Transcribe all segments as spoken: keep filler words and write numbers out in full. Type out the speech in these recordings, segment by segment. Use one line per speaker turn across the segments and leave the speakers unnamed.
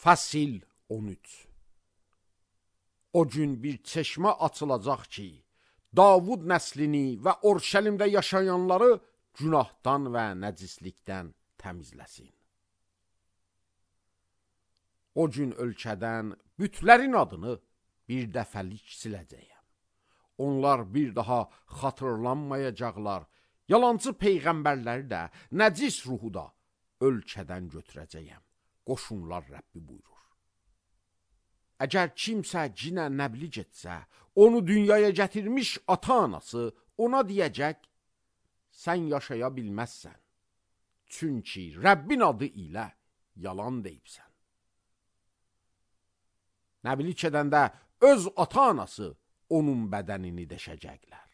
Fəsil on üç. O gün bir çeşmə açılacaq ki, Davud nəslini və Orşəlimdə yaşayanları günahdan və nəcislikdən təmizləsin. O gün ölkədən bütlərin adını bir dəfəlik siləcəyəm. Onlar bir daha xatırlanmayacaqlar. Yalancı peyğəmbərləri də, nəcis ruhu da ölkədən götürəcəyəm. Qoşunlar Rəbbi buyurur. Əgər kimsə cinə nəbli getsə, onu dünyaya gətirmiş ata-anası ona deyəcək, sən yaşaya bilməzsən. Çünki Rəbbin adı ilə yalan deyibsən. Nəblik edəndə öz ata-anası onun bədənini deşəcəklər.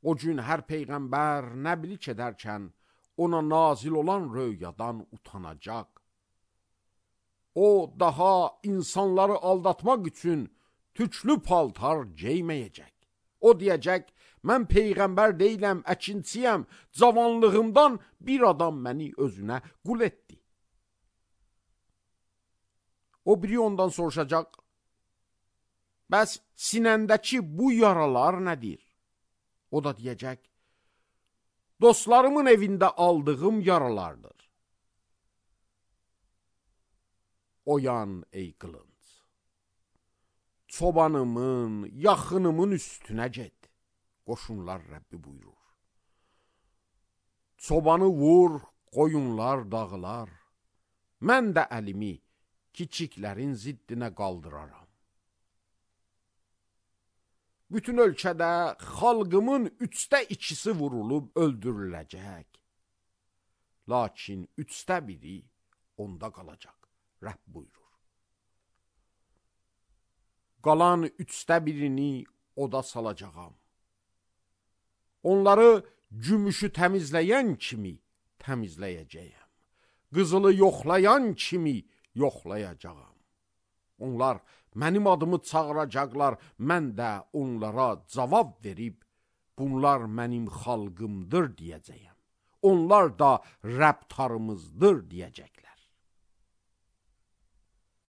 O gün hər peyğəmbər nəblik edərkən ona nazil olan röyadan utanacaq. O daha insanları aldatmaq üçün tüklü paltar geyməyəcək. O deyəcək, mən peyğəmbər deyiləm, əkinçiyəm, cavanlığımdan bir adam məni özünə qul etdi. O biri ondan soruşacaq, bəs sinəndəki bu yaralar nədir? O da deyəcək, dostlarımın evində aldığım yaralardır. Oyan ey qılınc, çobanımın, yaxınımın üstünə get, qoşunlar Rəbbi buyurur. Çobanı vur, qoyunlar dağılar, mən də əlimi kiçiklərin ziddinə qaldıraram. Bütün ölkədə xalqımın üçdə ikisi vurulub öldürüləcək. Lakin üçdə biri onda qalacaq. Rəbb buyurur. Qalan üçdə birini oda salacağam. Onları gümüşü təmizləyən kimi təmizləyəcəyəm. Qızılı yoxlayan kimi yoxlayacağam. Onlar mənim adımı çağıracaqlar, mən də onlara cavab verib, bunlar mənim xalqımdır deyəcəyəm. Onlar da Rəbb tarımızdır deyəcəklər.